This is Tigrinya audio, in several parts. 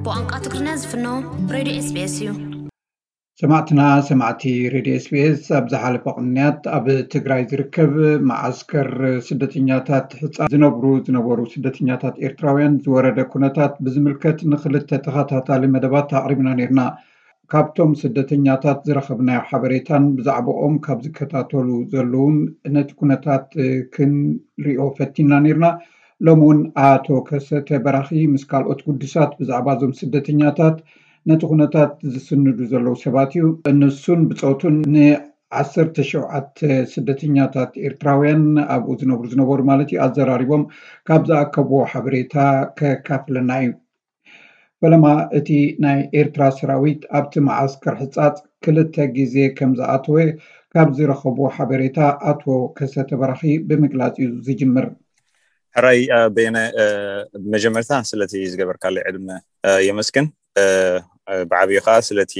ብቋንቋ ትግርኛ ዝፍኖ ሬድዮ ኤስቢኤስ እዩ። ሰማዕትና ሰማዕቲ ሬድዮ ኤስቢኤስ፣ ኣብ ዝሓለፈ ቅንያት ኣብ ትግራይ ዝርከብ መዓስከር ስደተኛታት ሕፃ ዝነብሩ ዝነበሩ ስደተኛታት ኤርትራውያን ዝወረደ ኩነታት ብዝምልከት ንክልተ ተኸታታሊ መደባት ኣቕሪብና ነርና። ካብቶም ስደተኛታት ዝረኸብናዮ ሓበሬታን ብዛዕባኦም ካብ ዝከታተሉ ዘለውን ነቲ ኩነታት ክንሪኦ ፈቲና ነርና። ሎሚ እውን ኣቶ ከሰተ በራኺ ምስ ካልኦት ግዱሳት ብዛዕባ እዞም ስደተኛታት ነቲ ኩነታት ዝስንዱ ዘለዉ ሰባት እዩ። ንሱን ብፆቱን ንዓሰርተ ሸውዓተ ስደተኛታት ኤርትራውያን ኣብኡ ዝነብሩ ዝነበሩ ማለት እዩ ኣዘራሪቦም ካብ ዝኣከብዎ ሓበሬታ ከካፍለና እዩ። ፈለማ እቲ ናይ ኤርትራ ሰራዊት ኣብቲ መዓስከር ሕጻጽ ክልተ ግዜ ከም ዝኣተወ ካብ ዝረኸብዎ ሓበሬታ ኣቶ ከሰተ በራኺ ብምግላጽ እዩ ዝጅምር። ሕራይ በየነ፣ ብመጀመርታ ስለቲ ዝገበርካለይ ዕድመ የመስግን። ብዓብዩ ከዓ ስለቲ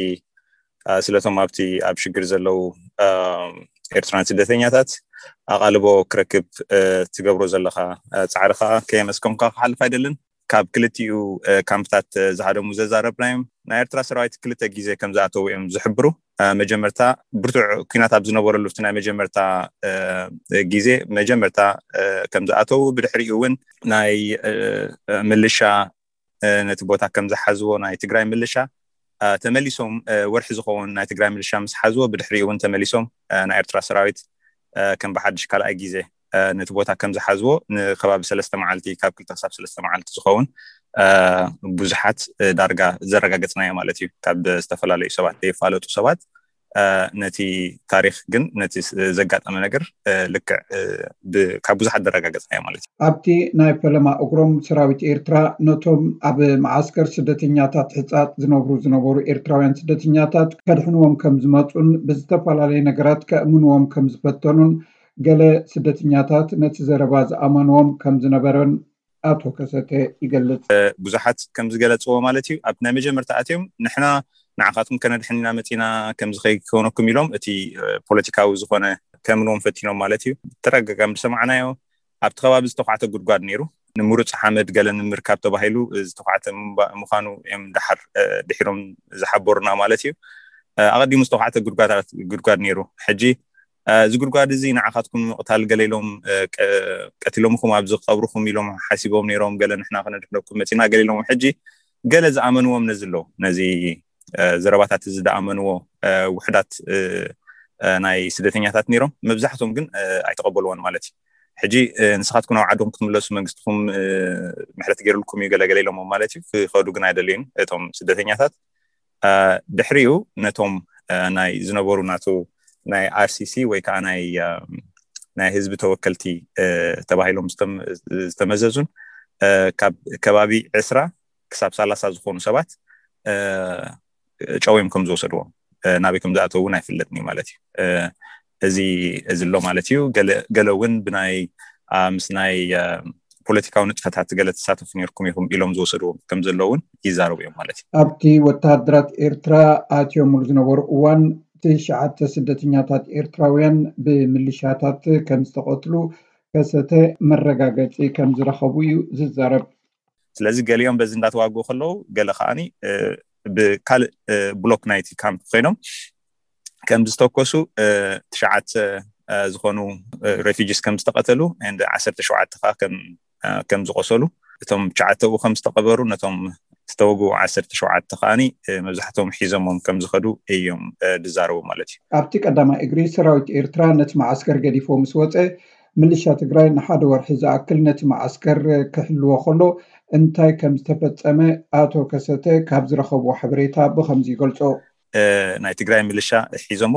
ስለቶም ኣብቲ ኣብ ሽግር ዘለዉ ኤርትራን ስደተኛታት ኣቓልቦ ክረክብ ትገብሮ ዘለካ ፃዕሪ ከዓ ከየመስከምካ ክሓልፍ ኣይደልን። ካብ ክልቲኡ ካምፕታት ዝሃደሙ ዘዛረብናዮም ናይ ኤርትራ ሰራዊት ክልተ ግዜ ከም ዝኣተዉ እዮም ዝሕብሩ። መጀመርታ ብርቱዕ ኩናት ኣብ ዝነበረሉ እቲ ናይ መጀመርታ ግዜ መጀመርታ ከም ዝኣተዉ፣ ብድሕሪኡ እውን ናይ ምልሻ ነቲ ቦታ ከም ዝሓዝዎ ናይ ትግራይ ምልሻ ተመሊሶም ወርሒ ዝኸውን ናይ ትግራይ ምልሻ ምስ ሓዝዎ፣ ብድሕሪኡ እውን ተመሊሶም ናይ ኤርትራ ሰራዊት ከም ብሓድሽ ካልኣይ ግዜ ነቲ ቦታ ከም ዝሓዝዎ ንከባቢ ሰለስተ መዓልቲ፣ ካብ ክልተ ክሳብ ሰለስተ መዓልቲ ዝኸውን ብዙሓት ዳርጋ ዘረጋገፅናዮ ማለት እዩ። ካብ ዝተፈላለዩ ሰባት ዘይፋለጡ ሰባት ነቲ ታሪክ ግን ነቲ ዘጋጠመ ነገር ልክዕ ካብ ብዙሓት ዘረጋገፅናዮ ማለት እዩ። ኣብቲ ናይ ፈለማ እግሮም ሰራዊት ኤርትራ ነቶም ኣብ መዓስከር ስደተኛታት ሕጻጽ ዝነብሩ ዝነበሩ ኤርትራውያን ስደተኛታት ከድሕንዎም ከም ዝመጹን ብዝተፈላለየ ነገራት ከእምንዎም ከም ዝፈተኑን ገለ ስደተኛታት ነቲ ዘረባ ዝኣመንዎም ከም ዝነበረን ኣቶ ከሰተ ይገልጽ። ብዙሓት ከም ዝገለጽዎ ማለት እዩ፣ ኣብ ናይ መጀመርታ ኣትዮም ንሕና ንዓኻትኩም ከነድሕን ኢና መጺና፣ ከምዚ ከይከውነኩም ኢሎም እቲ ፖለቲካዊ ዝኾነ ከምንዎም ፈቲኖም ማለት እዩ። ተደጋጋሚ ዝሰማዕናዮ ኣብቲ ከባቢ ዝተኳዕተ ጉድጓድ ነይሩ። ንምሩፅ ሓመድ ገለ ንምርካብ ተባሂሉ ዝተኳዕተ ምዃኑ እዮም ደሓር ድሒሮም ዝሓበሩና ማለት እዩ። ኣቐዲሙ ዝተኳዕተ ጉድጓድ ነይሩ። ሕጂ እዚ ጉድጓድ እዚ ንዓኻትኩም ንምቕታል ገለ ኢሎም ቀቲሎምኹም ኣብዚ ክቐብርኹም ኢሎም ሓሲቦም ነይሮም። ገለ ንሕና ክነድሕነኩም መፂና ገለ ኢሎም። ሕጂ ገለ ዝኣመንዎም ነዚ ኣለዉ፣ ነዚ ዘረባታት እዚ ዝኣመንዎ ውሕዳት ናይ ስደተኛታት ነይሮም። መብዛሕቶም ግን ኣይተቐበልዎን ማለት እዩ። ሕጂ ንስኻትኩም ናብ ዓድኹም ክትምለሱ መንግስትኹም ምሕረት ገይሩልኩም እዩ ገለገለ ኢሎሞ ማለት እዩ። ክኸዱ ግን ኣይደልዩን እቶም ስደተኛታት። ድሕሪኡ ነቶም ናይ ዝነበሩ ናቱ ናይ ኣርሲሲ ወይ ከዓ ናይ ናይ ህዝቢ ተወከልቲ ተባሂሎም ዝተመዘዙን ካብ ከባቢ ዕስራ ክሳብ ሰላሳ ዝኾኑ ሰባት ጨውዮም ከም ዝወሰድዎም ናበይ ከም ዝኣተው እውን ኣይፍለጥን እዩ ማለት እዩ። እዚ እዚ ኣሎ ማለት እዩ። ገለ እውን ብናይ ምስ ናይ ፖለቲካዊ ንጥፈታት ገለ ተሳተፉ ነርኩም ኢኹም ኢሎም ዝወሰድዎም ከም ዘለውን ይዛረቡ እዮም ማለት እዩ። ኣብቲ ወተሃደራት ኤርትራ ኣትዮምሉ ዝነበሩ እዋን ትሽዓተ ስደተኛታት ኤርትራውያን ብምልሻታት ከም ዝተቐትሉ ከሰተ መረጋገፂ ከም ዝረኸቡ እዩ ዝዛረብ። ስለዚ ገሊኦም በዚ እንዳተዋግኡ ከለዉ ገለ ከዓኒ ብካልእ ብሎክ ናይቲ ካምፕ ኮይኖም ከም ዝተኮሱ ትሽዓተ ዝኾኑ ሬፊጂስ ከም ዝተቐተሉ ዓሰርተ ሸውዓተ ከዓ ከም ዝቆሰሉ እቶም ትሽዓተ ብኡ ከም ዝተቐበሩ ነቶም ዝተወግኡ ዓሰርተ ሸውዓተ ከዓኒ መብዛሕትኦም ሒዞሞም ከም ዝኸዱ እዮም ዝዛረቡ ማለት እዩ። ኣብቲ ቀዳማይ እግሪ ሰራዊት ኤርትራ ነቲ መዓስከር ገዲፎ ምስ ወፀ ምልሻ ትግራይ ንሓደ ወርሒ ዝኣክል ነቲ መዓስከር ክሕልዎ ከሎ እንታይ ከም ዝተፈፀመ ኣቶ ከሰተ ካብ ዝረኸብዎ ሓበሬታ ብኸምዚ ይገልፆ። ናይ ትግራይ ምልሻ ሒዞሞ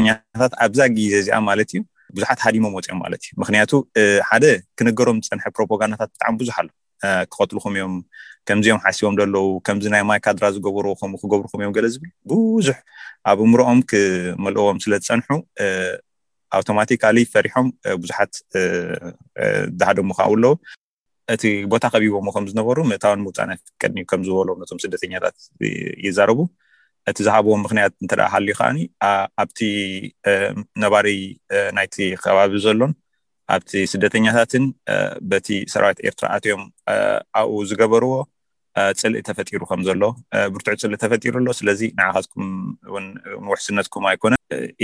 ኛታት ኣብዛ ግዜ እዚኣ ማለት እዩ ብዙሓት ሃዲሞም ወፅኦም ማለት እዩ። ምክንያቱ ሓደ ክነገሮም ዝፀንሐ ፕሮፓጋንዳታት ብጣዕሚ ብዙሕ ኣሎ። ክቐትልኹም እዮም፣ ከምዚኦም ሓሲቦም ዘለዉ፣ ከምዚ ናይ ማይ ካድራ ዝገበርዎ ከምኡ ክገብርኹም እዮም ገለ ዝብል ብዙሕ ኣብ እምሮኦም ክመልእዎም ስለ ዝፀንሑ ኣውቶማቲካሊ ፈሪሖም ብዙሓት ዝሃደሙ ከዓ ኣለዉ። እቲ ቦታ ከቢቦሞ ከም ዝነበሩ ምእታውን ምውፃእን ኣይፍቀድን እዩ ከም ዝበሎም ነቶም ስደተኛታት ይዛረቡ። እቲ ዝሃብዎም ምክንያት እንተ ሃልዩ ከዓኒ ኣብቲ ነባሪ ናይቲ ከባቢ ዘሎን ኣብቲ ስደተኛታትን በቲ ሰራዊት ኤርትራ ኣትዮም ኣብኡ ዝገበርዎ ጽልኢ ተፈጢሩ ከም ዘሎ፣ ብርቱዕ ጽልኢ ተፈጢሩ ኣሎ። ስለዚ ንዓኻትኩም እውን ንውሕስነትኩም ኣይኮነ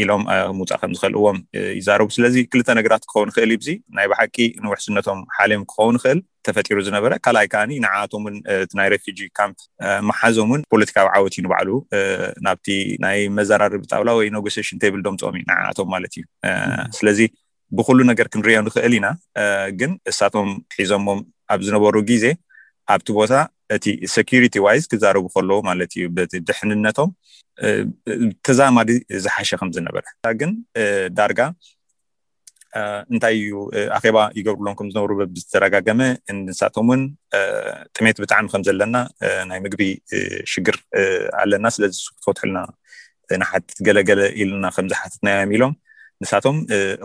ኢሎም ምውፃእ ከም ዝኸልእዎም ይዛረቡ። ስለዚ ክልተ ነገራት ክኸውን ይኽእል እዩ። ናይ ብሓቂ ንውሕስነቶም ሓልዮም ክኸውን ይኽእል ተፈጢሩ ዝነበረ። ካልኣይ ከዓኒ ንዓኣቶም እውን እቲ ናይ ሬፊጂ ካምፕ መሓዞም እውን ፖለቲካዊ ዓወት እዩ ንባዕሉ። ናብቲ ናይ መዘራረቢ ጣውላ ወይ ኔጎሲሽን ቴብል ዶምፅኦም እዩ ንዓኣቶም ማለት እዩ። ስለዚ ብኩሉ ነገር ክንሪኦ ንኽእል ኢና። ግን እሳቶም ሒዞሞም ኣብ ዝነበሩ ግዜ ኣብቲ ቦታ እቲ ሴኩሪቲ ዋይዝ ክዛረቡ ከለዉ ማለት እዩ፣ በቲ ድሕንነቶም ተዛማዲ ዝሓሸ ከም ዝነበረ። ግን ዳርጋ እንታይ እዩ፣ ኣኼባ ይገብሩሎም ከም ዝነበሩ በብዝተደጋገመ፣ ንሳቶም እውን ጥሜት ብጣዕሚ ከም ዘለና፣ ናይ ምግቢ ሽግር ኣለና፣ ስለዚ ክትፈትሑልና ንሓትት ገለገለ ኢልና ከም ዝሓትትናዮም ኢሎም፣ ንሳቶም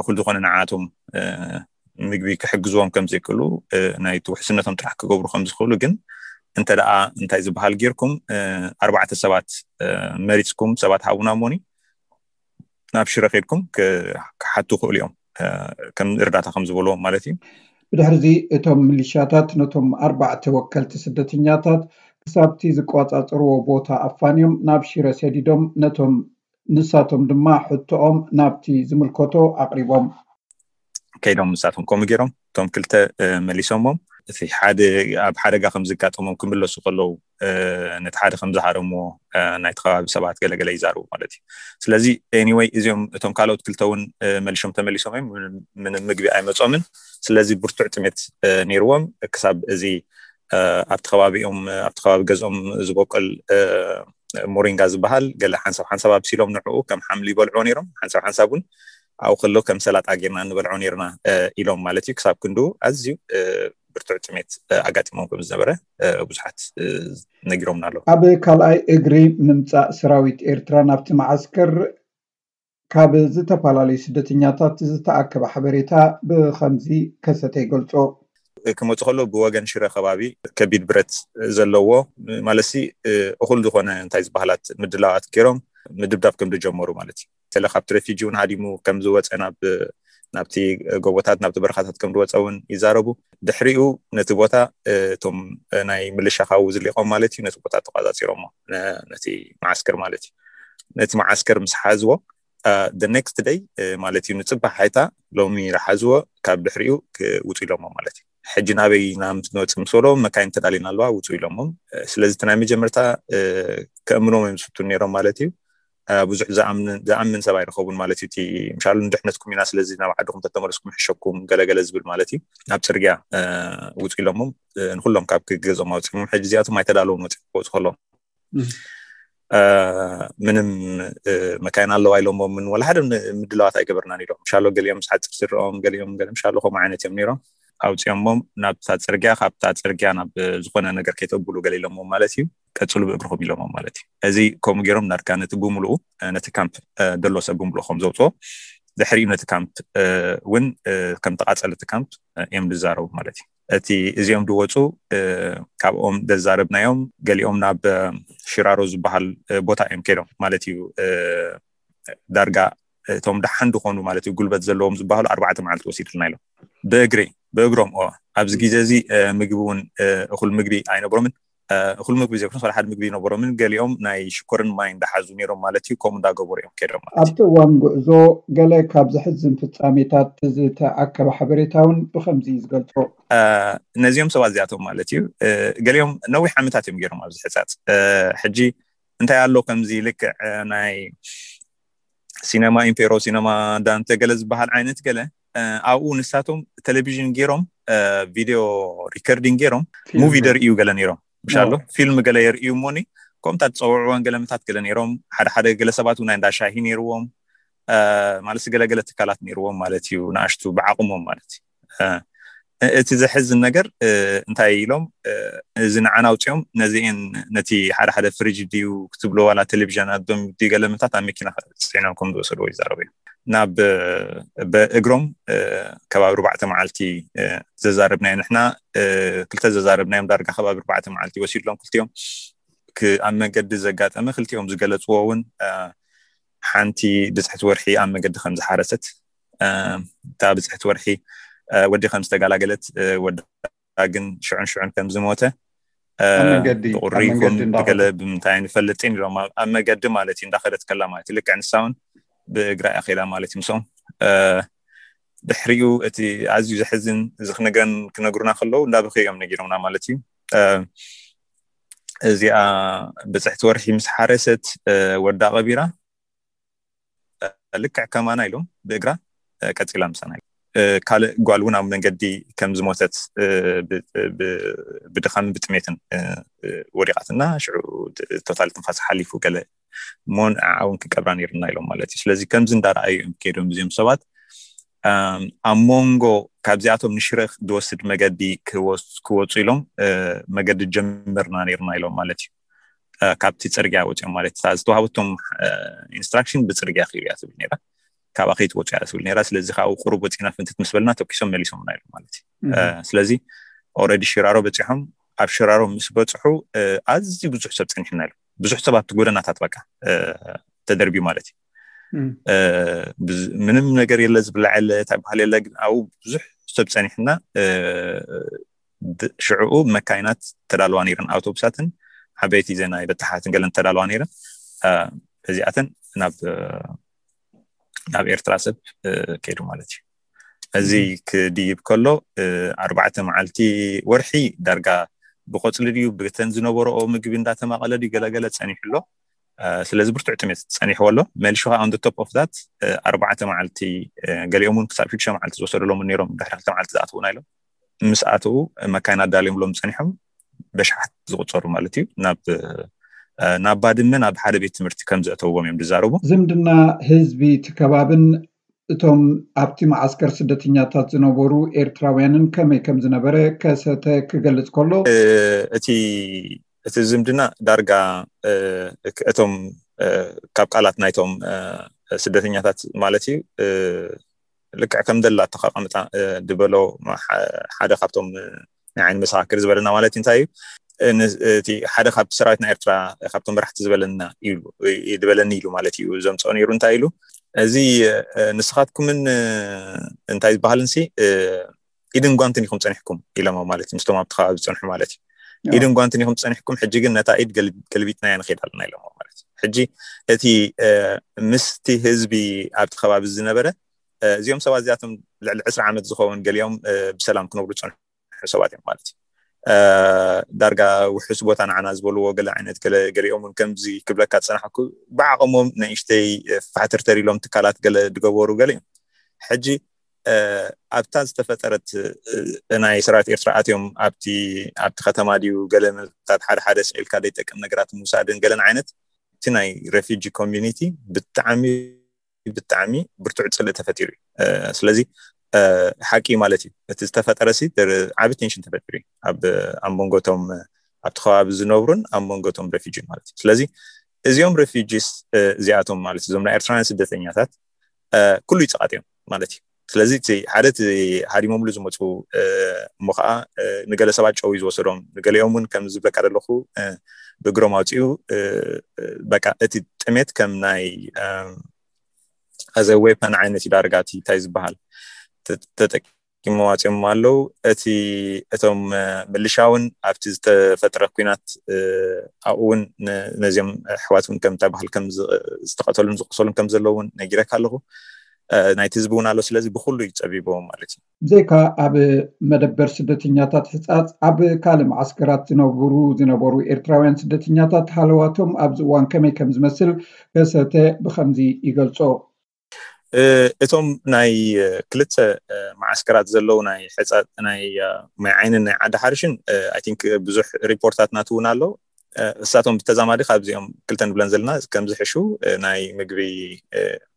እኹል ዝኾነ ንዓቶም ምግቢ ክሕግዝዎም ከም ዘይክእሉ፣ ናይ ውሕስነቶም ጥራሕ ክገብሩ ከም ዝኽእሉ፣ ግን እንተ ደኣ እንታይ ዝበሃል ጌርኩም ኣርባዕተ ሰባት መሪፅኩም ሰባት ሃቡና እሞኒ ናብ ሽረ ከድኩም ክሓቱ ክእሉ እዮም፣ ከም እርዳታ ከም ዝበልዎም ማለት እዩ። ብድሕርዚ እቶም ሚሊሻታት ነቶም ኣርባዕተ ወከልቲ ስደተኛታት ክሳብቲ ዝቆጻጸርዎ ቦታ ኣፋንዮም ናብ ሽረ ሰዲዶም ነቶም ንሳቶም ድማ ሕቶኦም ናብቲ ዝምልከቶ ኣቕሪቦም። ከይዶም ንሳቶም ከምኡ ገይሮም እቶም ክልተ መሊሶሞም፣ እቲ ሓደ ኣብ ሓደጋ ከም ዝጋጠሞም ክምለሱ ከለዉ ነቲ ሓደ ከም ዝሃረምዎ ናይቲ ከባቢ ሰባት ገለገለ ይዛርቡ ማለት እዩ። ስለዚ ኤኒወይ እዚኦም እቶም ካልኦት ክልተ እውን መሊሾም ተመሊሶም እዮም፣ ምንም ምግቢ ኣይመጾምን። ስለዚ ብርቱዕ ጥሜት ነይርዎም ክሳብ እዚ ኣብቲ ከባቢኦም ኣብቲ ከባቢ ገዝኦም ዝበቆል ሞሪንጋ ዝበሃል ገለ ሓንሳብ ሓንሳብ ኣብሲሎም ንዕኡ ከም ሓምሊ ይበልዕዎ ነይሮም፣ ሓንሳብ ሓንሳብ እውን ኣብኡ ከሎ ከም ሰላጣ ጌርና ንበልዖ ነይርና ኢሎም ማለት እዩ። ክሳብ ክንዱ ኣዝዩ ብርቱዕ ጥሜት ኣጋጢሞም ከም ዝነበረ ብዙሓት ነጊሮምና ኣለዉ። ኣብ ካልኣይ እግሪ ምምፃእ ሰራዊት ኤርትራ ናብቲ መዓስከር ካብ ዝተፈላለዩ ስደተኛታት ዝተኣከበ ሓበሬታ ብኸምዚ ከሰተ ይገልጾ። ክመፁ ከሎ ብወገን ሽረ ከባቢ ከቢድ ብረት ዘለዎ ማለትሲ እኹል ዝኾነ እንታይ ዝበሃላት ምድላዋት ገይሮም ምድብዳብ ከም ዝጀመሩ ማለት እዩ። ስለ ካብቲ ሬፊጂ እውን ሃዲሙ ከም ዝወፀ ናብ ናብቲ ጎቦታት ናብቲ በረኻታት ከም ዝወፀ እውን ይዛረቡ። ድሕሪኡ ነቲ ቦታ እቶም ናይ ምልሻ ካብኡ ዝሊቖም ማለት እዩ ነቲ ቦታ ተቋፃፂሮሞ ነቲ መዓስከር ማለት እዩ። ነቲ መዓስከር ምስ ሓዝዎ the next day ማለት እዩ ንፅባሕ ሓይታ ሎሚ ዝሓዝዎ ካብ ድሕሪኡ ክውፁ ኢሎሞ ማለት እዩ። ሕጂ ናበይ ናምትንወፅእ ምስ በሎ መካይን ተዳሊና ኣለዋ ውፁ ኢሎሞም። ስለዚ እቲ ናይ መጀመርታ ከእምኖም እዮም ዝፍትኑ ነይሮም ማለት እዩ። ብዙሕ ዝኣምን ሰብ ኣይረኸቡን ማለት እዩ። እቲ ምሻሉ ንድሕነትኩም ኢና ስለዚ ናብ ዓድኹም ተተመለስኩም ሕሸኩም ገለገለ ዝብል ማለት እዩ። ኣብ ፅርግያ ውፁ ኢሎሞም ንኩሎም ካብ ገዝኦም ኣውፅኦም። ሕጂ እዚኣቶም ኣይተዳለውን ወፂኦም ክወፁ ከለዎም ምንም መካይን ኣለዋ ኢሎሞም ምን ወላ ሓደ ምድላዋት ኣይገበርናን ኢሎም። ምሻሎ ገሊኦም ምስ ሓፂር ስረኦም ገሊኦም ገለ ምሻሎ ከምኡ ዓይነት እዮም ነይሮም። ኣውፂኦሞም ናብታ ፅርግያ ካብታ ፅርግያ ናብ ዝኾነ ነገር ከይተብሉ ገለ ኢሎሞም ማለት እዩ። ቀፅሉ ብእግርኹም ኢሎሞም ማለት እዩ። እዚ ከምኡ ገይሮም ናድካ ነቲ ብምልኡ ነቲ ካምፕ ደሎ ሰብ ብምልኡ ከም ዘውፅኦ ድሕሪኡ ነቲ ካምፕ እውን ከም ተቃፀለ እቲ ካምፕ እዮም ዝዛረቡ ማለት እዩ። እቲ እዚኦም ዝወፁ ካብኦም ዘዛረብናዮም ገሊኦም ናብ ሽራሮ ዝበሃል ቦታ እዮም ከይዶም ማለት እዩ። ዳርጋ እቶም ደሓን ዝኾኑ ማለት እዩ ጉልበት ዘለዎም ዝበሃሉ ኣርባዕተ መዓልቲ ወሲድልና ኢሎም ብእግሪ ብእግሮም ኦ ኣብዚ ግዜ እዚ ምግቢ እውን እኹል ምግቢ ኣይነብሮምን። እኹል ምግቢ ዘይኮነስ ሓደ ምግቢ ይነበሮምን ገሊኦም ናይ ሽኮርን ማይ እንዳሓዙ ነይሮም ማለት እዩ። ከምኡ እንዳገበሩ እዮም ከይዶም ማለት እዩ። ኣብቲ እዋን ጉዕዞ ገለ ካብ ዘሕዝን ፍጻሜታት ዝተኣከበ ሓበሬታ እውን ብኸምዚ እዩ ዝገልጾ። ነዚኦም ሰባት እዚኣቶም ማለት እዩ ገሊኦም ነዊሕ ዓመታት እዮም ገይሮም ኣብዚ ሕጻጽ። ሕጂ እንታይ ኣሎ ከምዚ ልክዕ ናይ ሲነማ ኢምፔሮ ሲነማ ዳንተ ገለ ዝበሃል ዓይነት ገለ ኣብኡ ንሳቶም ቴሌቪዥን ገይሮም ቪድዮ ሪከርዲንግ ገይሮም ሙቪ ደርእዩ ገለ ነይሮም ምሻሎ ፊልም ገለ የርእዩ እሞኒ ከምታ ዝፀውዕወን ገለምታት ገለ ነይሮም ሓደ ሓደ ገለ ሰባት እውን እንዳ ሻሂ ነይርዎም ማለት ገለገለ ትካላት ነይርዎም ማለት እዩ። ንኣሽቱ ብዓቕሞም ማለት እዩ። እቲ ዘሕዝን ነገር እንታይ ኢሎም እዚ ንዓና ኣውፅኦም ነዚአን ነቲ ሓደ ሓደ ፍሪጅ ድዩ ክትብሎ ዋላ ቴሌቪዥን ኣዶም ድዩ ገለምታት ኣብ መኪና ፅዒኖም ከም ዝወሰድዎ ይዛረቡ እዮም። ናብ ብእግሮም ከባቢ ኣርባዕተ መዓልቲ ዘዛረብናዮ ንሕና ክልተ ዘዛረብናዮም ዳርጋ ከባቢ ኣርባዕተ መዓልቲ ወሲድሎም ክልቲኦም። ኣብ መንገዲ ዘጋጠመ ክልቲኦም ዝገለፅዎ እውን ሓንቲ ብፅሕቲ ወርሒ ኣብ መንገዲ ከም ዝሓረሰት እታ ብፅሕቲ ወርሒ ወዲ ከም ዝተገላገለት ወዳ ግን ሽዑን ሽዑን ከም ዝሞተ ብቁሪ ይኹን ብገለ ብምንታይ ንፈልጥን ኢሎም ኣብ መገዲ ማለት እዩ እንዳኸደት ከላ ማለት እዩ። ልክዕ ንሳ እውን ብእግራ እያ ከይዳ ማለት እዩ። ምስኦም ድሕሪኡ እቲ ኣዝዩ ዘሕዝን እዚ ክነግረን ክነግሩና ከለዉ እንዳበኸ እዮም ነጊሮምና ማለት እዩ። እዚኣ ብፅሕቲ ወርሒ ምስ ሓረሰት ወዳ ቀቢራ ልክዕ ከማና ኢሎም ብእግራ ቀፂላ ምሳና። ካልእ ጓል እውን ኣብ መንገዲ ከም ዝሞተት ብድኻምን ብጥሜትን ወዲቓትና ሽዑ ቶታል ትንፋስ ሓሊፉ ገለ እሞ ንዓውን ክቀብራ ነይርና ኢሎም ማለት እዩ። ስለዚ ከምዚ እንዳረኣዩ እዮም ከይዶም እዚኦም ሰባት ኣብ መንጎ ካብዚኣቶም ንሽረ ዝወስድ መገዲ ክወፁ ኢሎም መገዲ ጀምርና ነይርና ኢሎም ማለት እዩ። ካብቲ ፅርግያ ወፂኦም ማለት እታ ዝተዋሃበቶም ኢንስትራክሽን ብፅርግያ ክይዱ እያ ትብል ነራ፣ ካብኣ ከይትወፁ እያ ትብል ነራ። ስለዚ ካብኡ ቁሩብ ወፂና ፍንትት ምስ በልና ተኪሶም መሊሶምና ኢሎም ማለት እዩ። ስለዚ ኦረዲ ሽራሮ በፂሖም ኣብ ሽራሮ ምስ በፅሑ ኣዝዩ ብዙሕ ሰብ ፀኒሕና ኢሎም። ብዙሕ ሰባት ጎደናታት በቃ ተደርብዩ ማለት እዩ። ምንም ነገር የለ፣ ዝብላዕ የለ፣ እንታይ በሃል የለ። ግን ኣብኡ ብዙሕ ሰብ ፀኒሕና ሽዕኡ መካይናት ተዳልዋ ነይረን፣ ኣውቶቡሳትን ዓበይቲ ዜና በታሓትን ገለን ተዳልዋ ነይረን። እዚኣተን ናብ ናብ ኤርትራ ሰብ ከይዱ ማለት እዩ። እዚ ክድይብ ከሎ ኣርባዕተ መዓልቲ ወርሒ ዳርጋ ብቆፅሊ ድዩ ብተን ዝነበረኦ ምግቢ እንዳተማቐለ ድዩ ገለገለ ፀኒሑ ኣሎ። ስለዚ ብርቱዕ ጥሜት ፀኒሕዎ ኣሎ። መሊሹ ከዓ on the top of that ኣርባዕተ መዓልቲ ገሊኦም እውን ክሳብ ሽዱሽተ መዓልቲ ዝወሰደሎም እውን ነይሮም። ድሕሪ ክልተ መዓልቲ ዝኣትዉና ኢሎም ምስ ኣተዉ መካይን ኣዳልዮምሎም ፀኒሖም በሽሓት ዝቁፀሩ ማለት እዩ ናብ ናብ ባድመ ናብ ሓደ ቤት ትምህርቲ ከም ዘእተውዎም እዮም ዝዛረቡ። ዝምድና ህዝቢ እቲ ከባብን እቶም ኣብቲ መዓስከር ስደተኛታት ዝነበሩ ኤርትራውያንን ከመይ ከም ዝነበረ ከሰተ ክገልጽ ከሎ፣ እቲ እቲ ዝምድና ዳርጋ እቶም ካብ ቃላት ናይቶም ስደተኛታት ማለት እዩ ልክዕ ከም ደላ ተቃምጣ ዝበሎ ሓደ ካብቶም ናይ ዓይኒ መሰኻክር ዝበለና ማለት እንታይ እዩ እቲ ሓደ ካብ ሰራዊት ናይ ኤርትራ ካብቶም መራሕቲ ዝበለና ኢሉ ዝበለኒ ኢሉ ማለት እዩ ዘምፅኦ ነይሩ። እንታይ ኢሉ እዚ ንስኻትኩምን እንታይ ዝበሃልን ሲ ኢድን ጓንትን ኢኹም ፀኒሕኩም ኢሎሞ ማለት እዩ። ምስቶም ኣብቲ ከባቢ ዝፀንሑ ማለት እዩ። ኢድን ጓንትን ኢኹም ፀኒሕኩም፣ ሕጂ ግን ነታ ኢድ ገልቢጥናያ ንኸይድ ኣለና ኢሎሞ ማለት እዩ። ሕጂ እቲ ምስቲ ህዝቢ ኣብቲ ከባቢ ዝነበረ እዚኦም ሰባት እዚኣቶም ልዕሊ ዕስራ ዓመት ዝኸውን ገሊኦም ብሰላም ክነብሩ ዝፀንሑ ሰባት እዮም ማለት እዩ። ዳርጋ ውሑስ ቦታ ንዓና ዝበልዎ ገለ ዓይነት ገሊኦም እውን ከምዚ ክብለካ ዝፀናሕኩ ብዓቕሞም ንእሽተይ ፋሕተርተር ኢሎም ትካላት ገለ ዝገበሩ ገለ እዮም። ሕጂ ኣብታ ዝተፈጠረት ናይ ሰራዊት ኤርትራ ኣትዮም ኣብቲ ኣብቲ ከተማ ድዩ ገለ መታት ሓደ ሓደ ስዒልካ ዘይጠቅም ነገራት ምውሳድን ገለን ዓይነት እቲ ናይ ሬፊጂ ኮሚኒቲ ብጣዕሚ ብጣዕሚ ብርቱዕ ፅልእ ተፈጢሩ እዩ። ስለዚ ሓቂ ማለት እዩ እቲ ዝተፈጠረ ሲ ዓቢ ቴንሽን ተፈጢሩ እዩ ኣብ ኣብ መንጎቶም ኣብቲ ከባቢ ዝነብሩን ኣብ መንጎቶም ሬፊጂን ማለት እዩ። ስለዚ እዚኦም ሬፊጂስ እዚኣቶም ማለት እዞም ናይ ኤርትራውያን ስደተኛታት ኩሉ ይፀቓጥ እዮም ማለት እዩ። ስለዚ እቲ ሓደ እቲ ሃዲሞምሉ ዝመፁ እሞ ከዓ ንገለ ሰባት ጨው እዩ ዝወሰዶም፣ ንገሊኦም እውን ከም ዝብለካ ዘለኹ ብእግሮም ኣውፅኡ በቃ እቲ ጥሜት ከም ናይ ኣዘ ዌፐን ዓይነት እዩ ዳርጋ እቲ እንታይ ዝበሃል ተጠቂሞ ዋፅዮም ኣለዉ። እቲ እቶም ምልሻ እውን ኣብቲ ዝተፈጥረ ኩናት ኣብኡ እውን ነዚኦም ኣሕዋት እውን ከም እንታይ በሃል ከም ዝተቐተሉን ዝቆሰሉን ከም ዘለዉ እውን ነጊረካ ኣለኹ። ናይቲ ህዝቢ እውን ኣሎ። ስለዚ ብኩሉ እዩ ፀቢብዎም ማለት እዩ። ብዘይካ ኣብ መደበር ስደተኛታት ሕፃፅ ኣብ ካልእ መዓስከራት ዝነብሩ ዝነበሩ ኤርትራውያን ስደተኛታት ሃለዋቶም ኣብዚ እዋን ከመይ ከም ዝመስል ከሰተ ብከምዚ ይገልጾ። እቶም ናይ ክልተ መዓስከራት ዘለዉ ናይ ሕፃ ናይ ማይ ዓይንን ናይ ዓዲ ሓርሽን ኣይ ቲንክ ብዙሕ ሪፖርታት ናትውን ኣሎ። እሳቶም ብተዛማዲ ካብዚኦም ክልተ ንብለን ዘለና ከም ዝሕሹ ናይ ምግቢ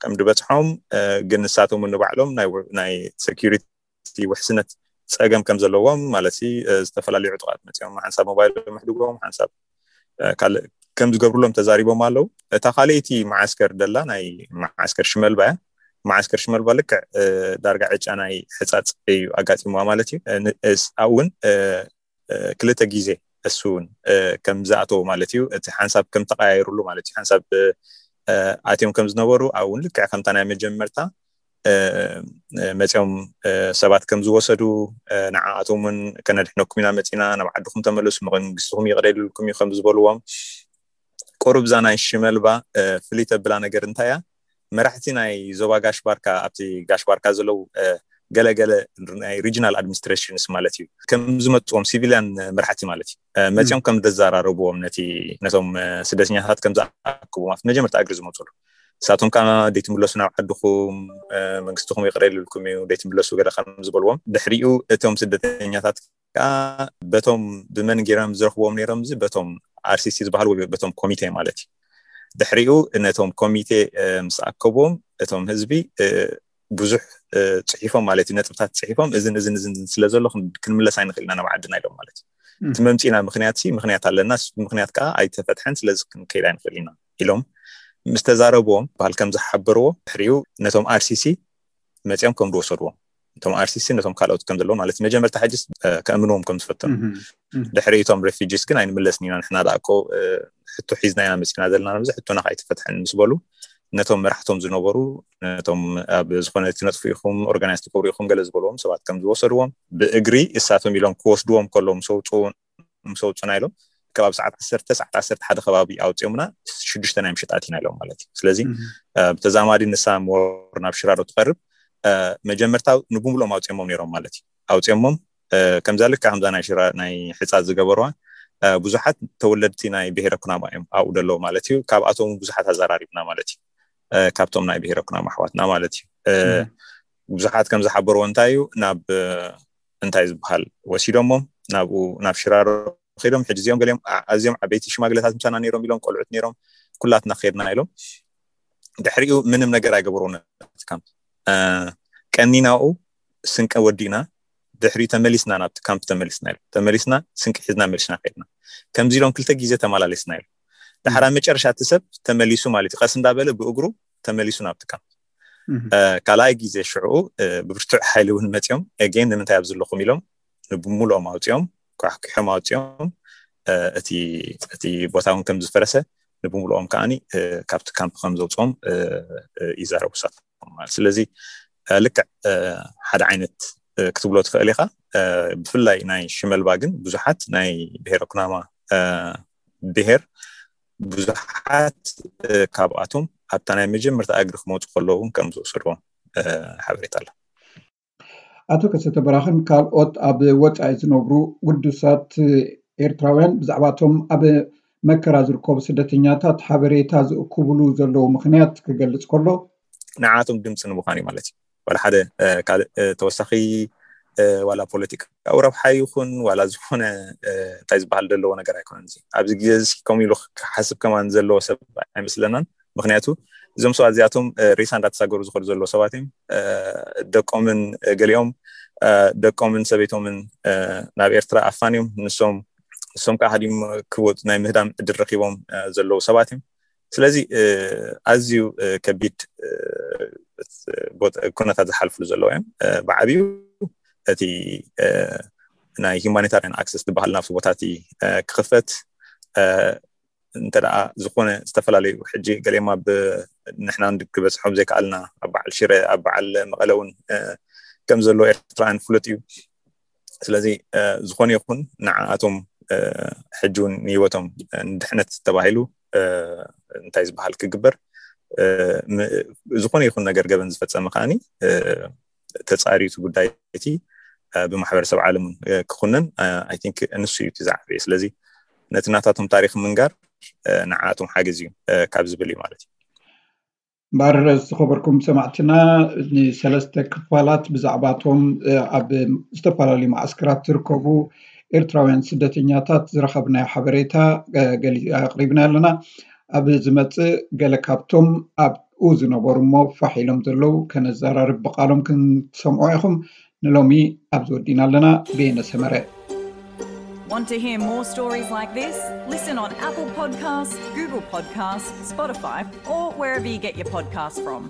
ከም ዝበፅሖም ግን ንሳቶም ንባዕሎም ናይ ሰኪሪቲ ውሕስነት ፀገም ከም ዘለዎም ማለት ዝተፈላለዩ ዕጡቃት መፅኦም ሓንሳብ ሞባይል ምሕድጎም ሓንሳብ ካልእ ከም ዝገብሩሎም ተዛሪቦም ኣለዉ። እታ ካልኣይቲ መዓስከር ደላ ናይ መዓስከር ሽመልባ እያ። መዓስከር ሽመልባ ልክዕ ዳርጋ ዕጫ ናይ ሕፃፅ እዩ ኣጋጢምዋ ማለት እዩ። ኣብኡ እውን ክልተ ግዜ እሱ እውን ከም ዝኣተዎ ማለት እዩ። እቲ ሓንሳብ ከም ተቀያየሩሉ ማለት እዩ። ሓንሳብ ኣትዮም ከም ዝነበሩ ኣብኡ እውን ልክዕ ከምታ ናይ መጀመርታ መፂኦም ሰባት ከም ዝወሰዱ፣ ንዓኣቶም እውን ከነድሕነኩም ኢና መፂና፣ ናብ ዓድኹም ተመለሱ፣ መንግስትኹም ይቕረ ኢልኩም እዩ ከም ዝበልዎም፣ ቁሩብ እዛ ናይ ሽመልባ ፍልይ ተብላ ነገር እንታይ እያ? መራሕቲ ናይ ዞባ ጋሽ ባርካ፣ ኣብቲ ጋሽ ባርካ ዘለዉ ገለገለ ናይ ሪጂናል ኣድሚኒስትሬሽንስ ማለት እዩ፣ ከም ዝመፅዎም፣ ሲቪልያን መራሕቲ ማለት እዩ፣ መፂኦም ከም ዘዘራረብዎም፣ ነቲ ነቶም ስደተኛታት ከም ዝኣክብዎም ኣብቲ መጀመርታ እግሪ ዝመፅሉ፣ ንሳቶም ከዓ ደይትምለሱ ናብ ዓድኹም፣ መንግስትኹም ይቕረ ኢልልኩም እዩ፣ ደይትምለሱ ገለ ከም ዝበልዎም፣ ድሕሪኡ እቶም ስደተኛታት ከዓ በቶም ብመን ገይሮም ዝረኽብዎም ነይሮም? እዚ በቶም ኣርሲሲ ዝበሃል ወይ በቶም ኮሚቴ ማለት እዩ። ድሕሪኡ ነቶም ኮሚቴ ምስ ኣከብዎም፣ እቶም ህዝቢ ብዙሕ ፅሒፎም ማለት እዩ፣ ነጥብታት ፅሒፎም፣ እዝን እዝን እዝን ስለ ዘሎ ክንምለስ ኣይንኽእል ኢና ናብ ዓድና ኢሎም ማለት እዩ። እቲ መምፂና ምክንያት ሲ ምክንያት ኣለና፣ ምክንያት ከዓ ኣይተፈትሐን፣ ስለዚ ክንከይድ ኣይንኽእል ኢና ኢሎም ምስ ተዛረብዎም፣ በሃል ከም ዝሓበርዎ፣ ድሕሪኡ ነቶም ኣርሲሲ መፂኦም ከም ዝወሰድዎም፣ እቶም ኣርሲሲ ነቶም ካልኦት ከም ዘለዎም ማለት እዩ። መጀመርታ ሕጅስ ከእምንዎም ከም ዝፈተኑ፣ ድሕሪ እቶም ሬፊጂስ ግን ኣይንምለስን ኢና፣ ንሕና ደኣ እኮ ሕቶ ሒዝና ኢና መፂና ዘለና፣ ነዚ ሕቶና ከዓ ኣይተፈትሐን ምስ በሉ፣ ነቶም መራሕቶም ዝነበሩ፣ ነቶም ኣብ ዝኾነ ትነጥፉ ኢኹም፣ ኦርጋናይዝ ትገብሩ ኢኹም ገለ ዝበልዎም ሰባት ከም ዝወሰድዎም፣ ብእግሪ እሳቶም ኢሎም ክወስድዎም ከለዉ ምስ ኣውፅኡ ምስ ኣውፁና ኢሎም፣ ከባቢ ሰዓት ዓሰርተ፣ ሰዓት ዓሰርተ ሓደ ከባቢ ኣውፅኦምና፣ ሽዱሽተ ናይ ምሸት ኣቲና ኢሎም ማለት እዩ። ስለዚ ብተዛማዲ ንሳ ሞር ናብ ሽራሮ ትቐርብ፣ መጀመርታ ንብሙሉኦም ኣውፅኦሞም ነይሮም ማለት እዩ። ኣውፅኦሞም ከምዛ ልካ ከምዛ ናይ ሽራ ናይ ሕፃ ዝገበርዋ ብዙሓት ተወለድቲ ናይ ብሄረ ኩናማ እዮም ኣብኡ ደለዉ ማለት እዩ። ካብኣቶም ብዙሓት ኣዘራሪብና ማለት እዩ፣ ካብቶም ናይ ብሄረ ኩናማ ኣሕዋትና ማለት እዩ። ብዙሓት ከም ዝሓበርዎ እንታይ እዩ፣ ናብ እንታይ ዝበሃል ወሲዶሞም ናብኡ ናብ ሽራሮ ከይዶም፣ ሕጂ እዚኦም ገሊኦም ኣዝዮም ዓበይቲ ሽማግለታት ምሳና ነይሮም ኢሎም፣ ቆልዑት ነይሮም፣ ኩላትና ከይድና ኢሎም። ድሕሪኡ ምንም ነገር ኣይገበርዎ ነቲ ካምፕ። ቀኒናኡ ስንቀ ወዲእና፣ ድሕሪኡ ተመሊስና ናብቲ ካምፕ ተመሊስና ኢሎም። ተመሊስና ስንቂ ሒዝና መሊስና ከይድና። ከምዚ ኢሎም ክልተ ግዜ ተመላለስና ኢሎም። ድሓራ መጨረሻ እቲ ሰብ ተመሊሱ ማለት እዩ፣ ቀስ እንዳበለ ብእግሩ ተመሊሱ ናብቲ ካምፕ። ካልኣይ ግዜ ሽዑ ብብርቱዕ ሓይሊ እውን መፂኦም፣ ኤጌን ንምንታይ ኣብ ዘለኹም ኢሎም ንብሙሉኦም ኣውፂኦም፣ ኳሕኪሖም ኣውፂኦም። እቲ ቦታ እውን ከም ዝፈረሰ ንብሙሉኦም ከዓኒ ካብቲ ካምፕ ከም ዘውፅኦም ይዛረቡ ሳቶም። ስለዚ ልክዕ ሓደ ዓይነት ክትብሎ ትኽእል ኢኻ። ብፍላይ ናይ ሽመልባ ግን ብዙሓት ናይ ብሄረ ኩናማ ብሄር ብዙሓት ካብኣቶም ኣብታ ናይ መጀመርታ እግሪ ክመፁ ከለዉ እውን ከም ዝወሰድዎም ሓበሬታ ኣሎ። ኣቶ ከሰተ በራኽን ካልኦት ኣብ ወፃኢ ዝነብሩ ግዱሳት ኤርትራውያን ብዛዕባቶም ኣብ መከራ ዝርከቡ ስደተኛታት ሓበሬታ ዝእክብሉ ዘለዉ ምኽንያት ክገልጽ ከሎ፣ ንዓቶም ድምፂ ንምዃን እዩ ማለት እዩ። ዋላ ሓደ ካልእ ተወሳኺ ዋላ ፖለቲካዊ ረብሓ ይኹን ዋላ ዝኾነ እንታይ ዝበሃል ዘለዎ ነገር ኣይኮነን። እዚ ኣብዚ ግዜ እዚ ከምኡ ኢሉ ክሓስብ ከማን ዘለዎ ሰብ ኣይመስለናን። ምክንያቱ እዞም ሰባት እዚኣቶም ሬሳ እንዳተሳገሩ ዝኸዱ ዘለዉ ሰባት እዮም። ደቆምን ገሊኦም ደቆምን ሰበይቶምን ናብ ኤርትራ ኣፋንዮም ንሶም ንሶም ከዓ ሃዲም ክወፁ ናይ ምህዳም ዕድል ረኪቦም ዘለዉ ሰባት እዮም። ስለዚ ኣዝዩ ከቢድ ኩነታት ዝሓልፍሉ ዘለዉ እዮም። ብዓብዩ እቲ ናይ ሂማኒታሪያን ኣክሰስ ዝበሃል ናብቲ ቦታ እቲ ክኽፈት እንተ ደኣ ዝኾነ ዝተፈላለዩ ሕጂ ገሊኦም ኣብ ንሕና ክበፅሖም ዘይከኣልና ኣብ በዓል ሽረ ኣብ በዓል መቐለ እውን ከም ዘሎ ኤርትራውያን ፍሉጥ እዩ። ስለዚ ዝኾነ ይኹን ንዓኣቶም ሕጂ እውን ንህይወቶም ንድሕነት ተባሂሉ እንታይ ዝበሃል ክግበር ዝኾነ ይኹን ነገር ገበን ዝፈፀመ ከዓኒ ተፃርዩ እቲ ጉዳይ እቲ ብማሕበረሰብ ዓለም እውን ክኹነን ኣይ ቲንክ ንሱ እዩ እቲ ዝዓበየ። ስለዚ ነቲ ናታቶም ታሪክ ምንጋር ንዓኣቶም ሓገዝ እዩ ካብ ዝብል እዩ ማለት እዩ። እምበኣር ዝተኸበርኩም ሰማዕትና ንሰለስተ ክፋላት ብዛዕባቶም ኣብ ዝተፈላለዩ ማዓስከራት ዝርከቡ ኤርትራውያን ስደተኛታት ዝረኸብናዮ ሓበሬታ ኣቕሪብና ኣለና። ኣብ ዝመፅእ ገለ ካብቶም ኣብኡ ዝነበሩ እሞ ፋሕ ኢሎም ዘለዉ ከነዘራርብ ብቓሎም ክንሰምዖ ኢኹም። ንሎሚ ኣብዚ ወዲና ኣለና። በየነ ሰመረ። Want to hear more stories like this? Listen on Apple Podcasts, Google Podcasts, Spotify, or wherever you get your podcasts from.